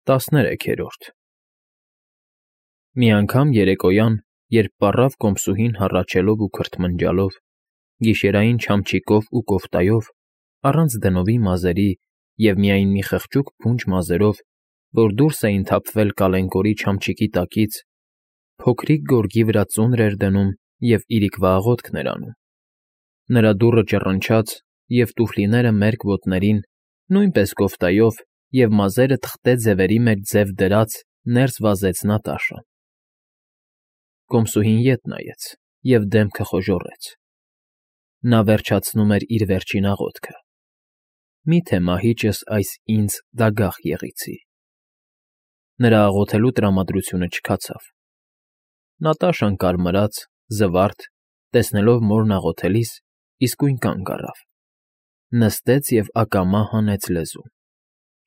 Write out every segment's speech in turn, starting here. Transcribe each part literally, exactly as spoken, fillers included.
Տասներեքերորդ Մի անգամ երեկոյան, երբ պառավ կոմսուհին հառաչելով ու քրթմնջալով, գիշերային չամչիկով ու կոֆտայով, առանց դնովի մազերի և միայն մի խղճուկ փունջ մազերով, որ դուրս էին թափվել կալենկորի չամչիկի տակից, փոքրիկ գորգի վրա ծունր էր դնում և իրիկվա աղոթքն էր անում, նրա դուռը ճռնչաց, և տուֆլիները մերկ ոտներին, նույնպես կոֆտայով և մազերը թղթե ձևերի մեջ ձև դրած ներս վազեց Նատաշան։ Կոմսուհին ետ նայեց և դեմքը խոժոռեց. նա վերջացնում էր իր վերջին աղոթքը. «Մի՞թե մահիճս այս ինձ դագաղ եղիցի»։ Նրա աղոթելու տրամադրությունը չքացավ։ Նատաշան կարմրած, զվարթ, տեսնելով մորն աղոթելիս, իսկույն կանգ առավ, նստեց և ակամա հանեց լեզուն,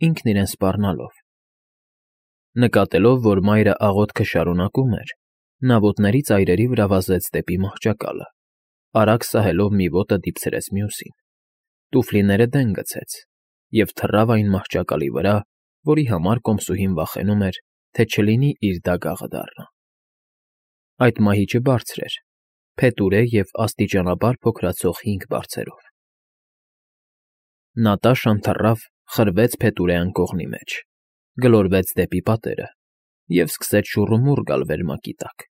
ինքն իրեն սպառնալով։ Նկատելով, որ մայրը աղոթքը շարունակում էր, նա ոտների ծայրերի վրա վազեց դեպի մահճակալը, արագ սահելով մի ոտը դիպցրեց մյուսին, տուֆլիները դեն գցեց և թռավ այն մահճակալի վրա, որի համար կոմսուհին վախենում էր, թե չլինի իր դագաղը դառնա։ Այդ մահիճը բարձր էր, փետուրե և աստիճանաբար փոքրացող հինգ բարձերով։ Նատաշան թռավ, խրվեց փետուրե անկողնի մեջ, գլորվեց դեպի պատերը և սկսեց շուռումուռ գալ վերմակի տակ,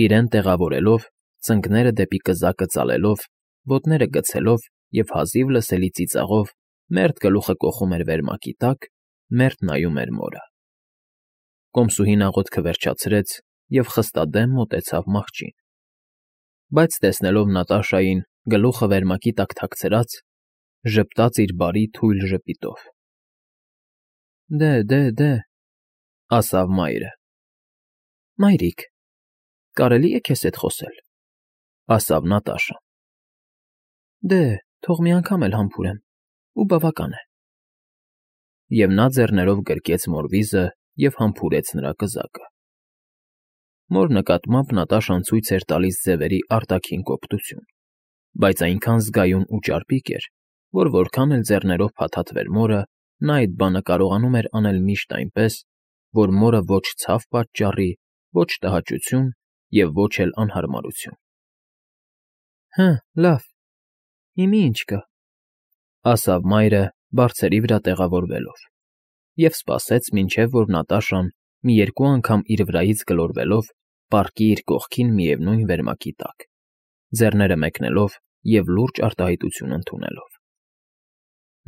իրեն տեղավորելով, ծնկները դեպի կզակը ծալելով, ոտները գցելով և հազիվ լսելի ծիծաղով մերթ գլուխը կոխում էր վերմակի տակ, մերթ նայում էր մորը։ Կոմսուհին աղոթքը վերջացրեց և խստադեմ մոտեցավ մահճին, բայց տեսնելով Նատաշային գլուխը վերմակի տակ թաքցրած, ժպտաց իր բարի թույլ ժպիտով։ ֊ Դե, դե, դե,֊ ասավ մայրը։ ֊ Մայրիկ, կարելի՞ է քեզ հետ խոսել,֊ ասավ Նատաշան։ ֊ Դե, թող մի անգամ էլ համբուրեմ, ու բավական է։ Եվ նա ձեռներով գրկեց մոր վիզը և համբուրեց նրա կզակը։ Մոր նկատմամբ Նատաշան ցույց էր տալիս ձևերի արտաքին կոպտություն, բայց այնքան զգայուն ու ճարպիկ էր, որ որքան էլ ձեռներով փաթաթվեր մորը, նա այդ բանը կարողանում էր անել միշտ այնպես, որ մորը ոչ ցավ պատճառի, ոչ տհաճություն և ոչ էլ անհարմարություն։ ֊ Հը, լավ, հիմա ի՞նչ կա,֊ ասավ մայրը բարձերի վրա տեղավորվելով, և սպասեց, մինչև որ Նատաշան մի երկու անգամ իր վրայից գլորվելով պառկի իր կողքին միևնույն վերմակի տակ, ձեռները մեկնելով և լուրջ արտահայտություն ընդունելով։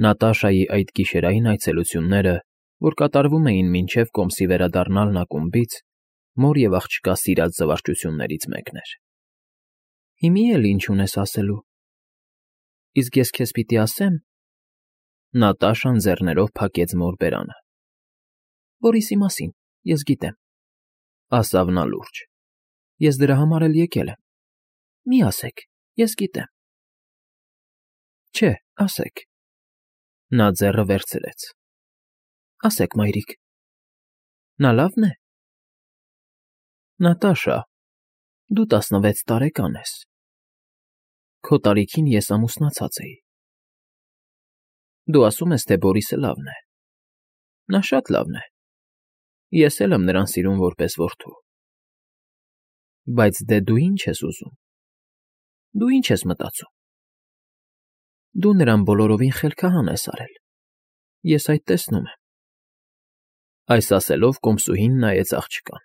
Նատաշայի այդ գիշերային այցելությունները, որ կատարվում էին մինչև կոմսի վերադառնալն ակումբից, մոր և աղջկա սիրած զվարճություններից մեկն էր։ ֊ Հիմի էլ ինչ ունես ասելու։ ֊ Իսկ ես քեզ պիտի ասեմ,֊ Նատաշան ձեռներով փակեց մոր բերանը։ ֊ Որիսի մասին, ես գիտեմ,֊ ասավ նա լուրջ,֊ ես դրա համար էլ եկել եմ։ Մի ասեք, ես գիտեմ։ ֊ Չէ, ասեք,֊ նա ձեռը վերցրեց։ ֊ Ասեք, մայրիկ, նա լավն է։ ֊ Նատաշա, դու տասնվեց տարեկան ես։ Քո տարիքին ես ամուսնացած էի։ Դու ասում ես, թե Բորիսը լավն է։ Նա շատ լավն է, ես էլ եմ նրան սիրում որպես որդու։ Բայց դե դու ի՞նչ ես ուզում, դու ի՞նչ ես մտածում։ Դու նրան բոլորովին խելքահան ես արել, ես այդ տեսնում եմ։ Այս ասելով կոմսուհին նայեց աղջկան։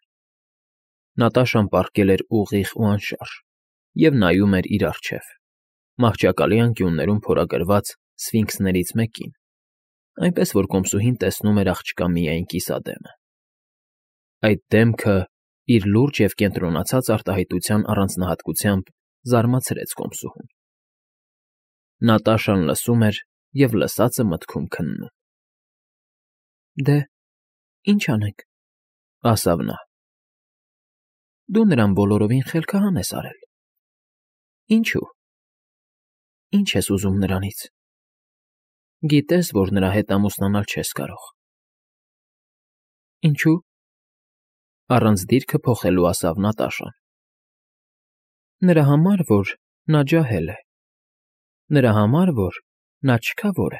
Նատաշան պառկել էր ուղիղ ու անշարժ և նայում էր իր առջև, մահճակալի անկյուններում փորագրված սֆինքսներից մեկին, այնպես որ կոմսուհին տեսնում էր աղջկա միայն կիսադեմը։ Այդ դեմքը, իր լուրջ և կենտրոնացած արտահայտության առանձնահատկությամբ, զարմացրեց կոմսուհուն։ Նատաշան լսում էր և լսածը մտքում քննում։ ֊ Դե, ի՞նչ անենք,֊ ասավ նա։ ֊ Դու նրան բոլորովին խելքահան ես արել։ ֊ Ինչո՞ւ։ ֊ Ի՞նչ ես ուզում նրանից։ ֊ Գիտես, որ նրա հետ ամուսնանալ չես կարող։ ֊ Ինչո՞ւ,֊ առանց դիրքը փոխելու ասավ Նատաշան։ ֊ Նրա համար, որ նա ջահել է։ Նրա համար, որ նա չքավոր է։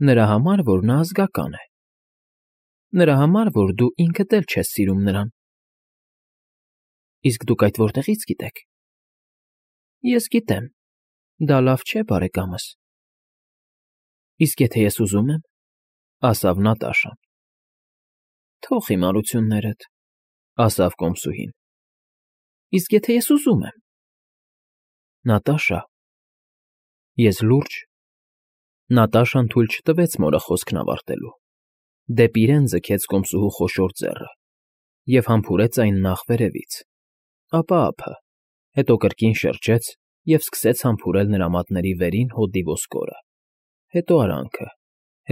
Նրա համար, որ նա ազգական է։ Նրա համար, որ դու ինքդ էլ չես սիրում նրան։ Իսկ դուք այդ որտեղից գիտեք։ Ես գիտեմ, դա լավ չէ, բարեկամս։ Իսկ եթե ես ուզում եմ, ասավ Նատաշան։ Թող հիմարություններդ, ասավ կոմսուհին։ Իսկ եթե ես ուզում եմ։ Նատաշա, ես լուրջ։ Նատաշան թույլ չտվեց մորը խոսքն ավարտելու։ Դեպի իրեն ձգեց կոմսուհու խոշոր ձեռը և համբուրեց այն նախ վերևից, ապա ափը, հետո կրկին շրջեց և սկսեց համբուրել նրա մատների վերին հոդի ոսկորը, հետո արանքը,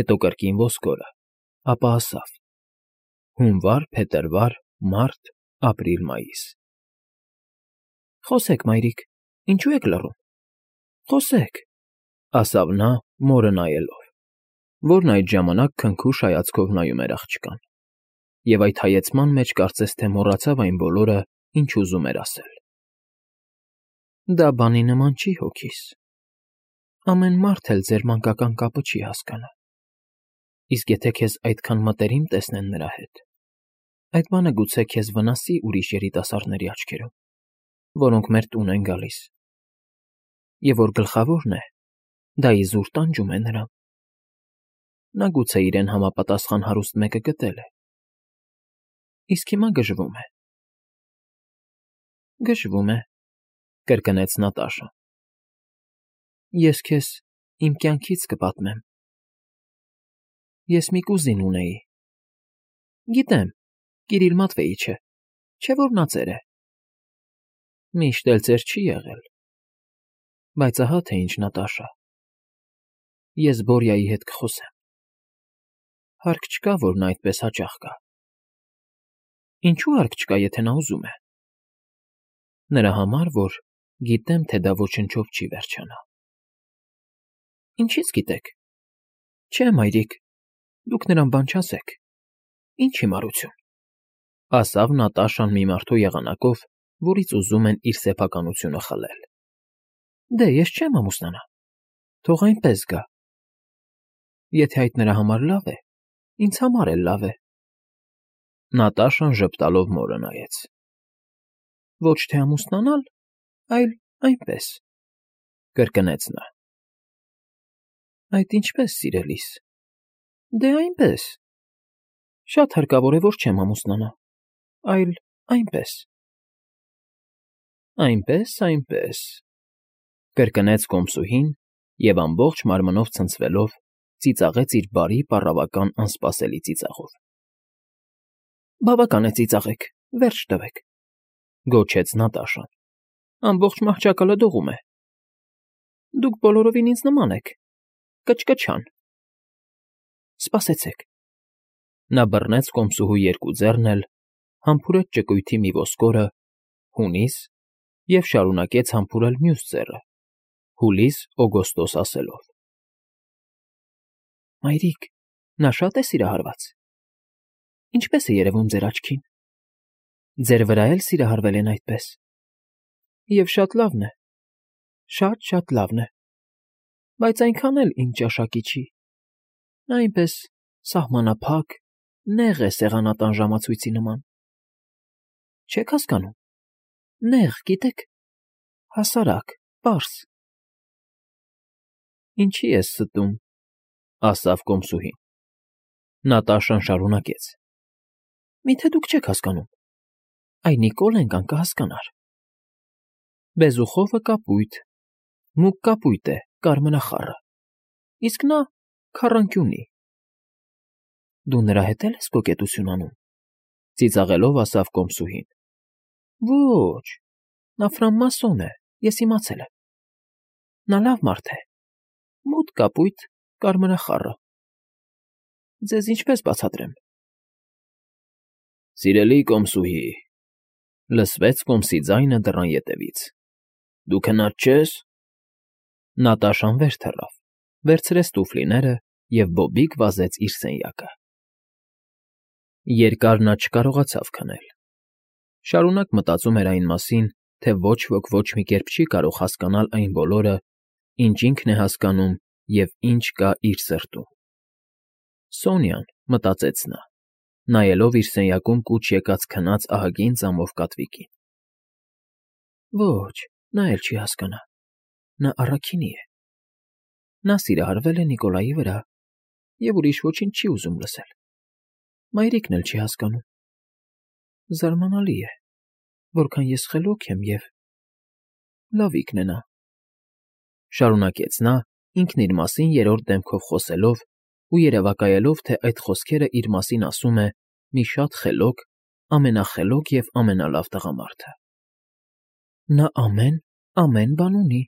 հետո կրկին ոսկորը, ապա ասավ. հունվար, փետրվար, մարտ, ապրիլ, մայիս։ Խոսեք, մայրիկ, ինչու եք լռում։ Խոսեք, ասավ նա, մորը նայելով, որն այդ ժամանակ քնքուշ հայացքով նայում էր աղջկան, և այդ հայեցման մեջ կարծես թե մոռացավ այն բոլորը, ինչ ուզում էր ասել։ Դա բանի նման չի հոգիս։ Ամեն մարդ էլ ձեր մանկական կապը չի հասկանա։ Իսկ եթե քեզ այդքան մտերիմ տեսնեն նրա հետ, այդ բանը գուցե քեզ վնասի ուրիշ երիտասարդների աչքերում, որոնք մեր տուն են գալիս։ Եվ որ գլխավորն է, դա իզուր տանջում է նրան։ Նա գուցե իրեն համապատասխան հարուստ մեկը գտել է։ Իսկ հիմա գժվում է։ Գժվում է, կրկնեց Նատաշան։ Ես քեզ իմ կյանքից կպատմեմ։ Ես մի կուզին ունեի։ Գիտեմ, Կիրիլ Մատվեիչը, չէ՞ որ նա ծեր է։ Միշտ էլ ծեր չի եղել։ Բայց ահա թե ինչ, Նատաշա։ Ես Բորյայի հետ կխոսեմ։ Հարկ չկա, որ նա այդպես հաճախ գա։ Ինչու հարկ չկա, եթե նա ուզում է։ Նրա համար, որ գիտեմ, թե դա ոչնչով չի վերջանա։ Ինչից գիտեք։ Չէ, մայրիկ, դուք նրան բան չասեք։ Ինչ հիմարություն։ Ասավ Նատաշան մի մարդու եղանակով, որից ուզում են իր սեփականությունը խլել։ Դե, ես չեմ ամուսնանա։ Թող այնպես գա։ Եթե այդ նրա համար լավ է, ինձ համար էլ լավ է։ Նատաշան ժպտալով մորը նայեց։ Ոչ թե ամուսնանալ, այլ այնպես, կրկնեց նա։ Այդ ինչպես, սիրելիս։ Դե այնպես։ Շատ հարկավոր է, որ չեմ ամուսնանա, այլ այնպես։ Այնպես, այնպես, կրկնեց կոմսուհին և ամբողջ մարմնով ցնցվելով ծիծաղեց իր բարի պառավական անսպասելի ծիծաղով։ Բավական է ծիծաղեք, վերջ տվեք, գոչեց Նատաշան։ Ամբողջ մահճակալը դողում է։ Դուք բոլորովին ինձ նման եք, կչկչան։ Սպասեցեք։ Նա բռնեց կոմսուհու երկու ձեռն էլ, համբուրեց ճկույթի մի ոսկորը, հունիս, և շարունակեց համբուրել մյուս ձեռը, հուլիս, օգոստոս ասելով. Մայրիկ, նա շատ է սիրահարված։ Ինչպես է երևում ձեր աչքին։ Ձեր վրա էլ սիրահարվել են այդպես։ Եվ շատ լավն է, շատ-շատ լավն է, բայց այնքան էլ իմ ճաշակի չի։ Նա այնպես սահմանափակ, նեղ է սեղանատան ժամացույցի նման։ Չեք հասկանում։ Նեղ, գիտեք, հասարակ, պարզ։ Ինչի ես ստում, ասավ կոմսուհին։ Նատաշան շարունակեց. Միթե դուք չեք հասկանում։ Այ Նիկոլենկան կհասկանար։ Բեզուխովը կապույտ, մուգ կապույտ է, կարմրախառը, իսկ նա քառանկյունի։ Դու նրա հետ էլ ես կոկետություն անում, ծիծաղելով ասավ կոմսուհին։ Ոչ, նա ֆրամմասոն է, ես իմացել եմ։ Նա լավ մարդ է, մութ կապույտ, կարմրախառը։ Ձեզ ինչպես բացատրեմ։ Սիրելի կոմսուհի, լսվեց կոմսի ձայնը դռան ետևից։ Դու քնած չես։ Նատաշան վեր թռավ, վերցրեց տուֆլիները և բոբիկ վազեց իր սենյակը։ Երկար նա չկարողացավ քնել։ Շարունակ մտածում էր այն մասին, թե ոչ ոք ոչ մի կերպ չի կարող հասկանալ այն բոլորը, ինչ ինքն է հասկանում և ինչ կա իր սրտում։ Սոնյան, մտածեց նա, նայելով իր սենյակում կուչ եկած քնած ահագին ծամով կատվիկին։ Ոչ, նա էլ չի հասկանա, նա առաքինի է։ Նա սիրահարվել է Նիկոլայի վրա և ուրիշ ոչինչ չի ուզում լսել։ Մայրիկն էլ չի հասկանում։ Զարմանալի է, որքան ես խելոք եմ և… լավիկն է նա,֊ շարունակեց նա, ինքն իր մասին երրորդ դեմքով խոսելով ու երևակայելով, թե այդ խոսքերը իր մասին ասում է մի շատ խելոք, ամենախելոք և ամենալավ տղամարդը։ Նա ամեն, ամեն բան ունի,֊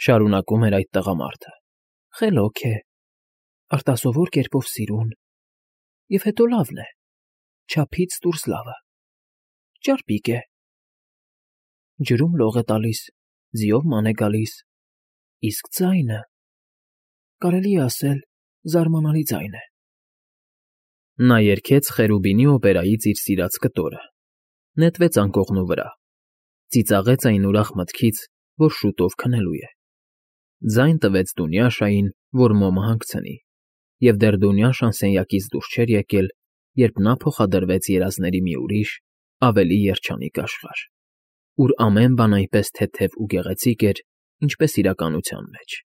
շարունակում էր այդ տղամարդը, խելոք է, արտասովոր կերպով սիրուն, և հետո լավն է, չափից դուրս լավը, ճարպիկ է, ջրում լող է տալիս, ձիով ման է գալիս, իսկ ձայնը… կարելի է ասել, զարմանալի ձայն է։ Նա երգեց Խերուբինի օպերայից իր սիրած կտորը, նետվեց անկողնու վրա, ծիծաղեց այն ուրախ մտքից, որ շուտով քնելու է, ձայն տվեց Դունյաշային, որ մոմը հանգցնի, և դեռ Դունյաշան սենյակից դուրս չէր եկել, երբ նա փոխադրվեց երազների մի ուրիշ, ավելի երջանիկ աշխարհ, ուր ամեն բան այնպես թեթև ու գեղեցիկ էր, ինչպես իրականության մեջ,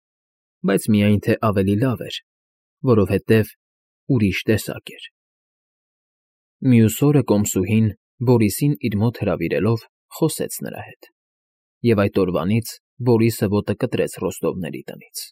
բայց միայն թե ավելի լավ էր, որովհետև ուրիշ տեսակ էր։ Մյուս օրը կոմսուհին, Բորիսին իր մոտ հրավիրելով, խոսեց նրա հետ, և այդ օրվանից Բորիսը ոտը կտրեց Ռոստովների տնից։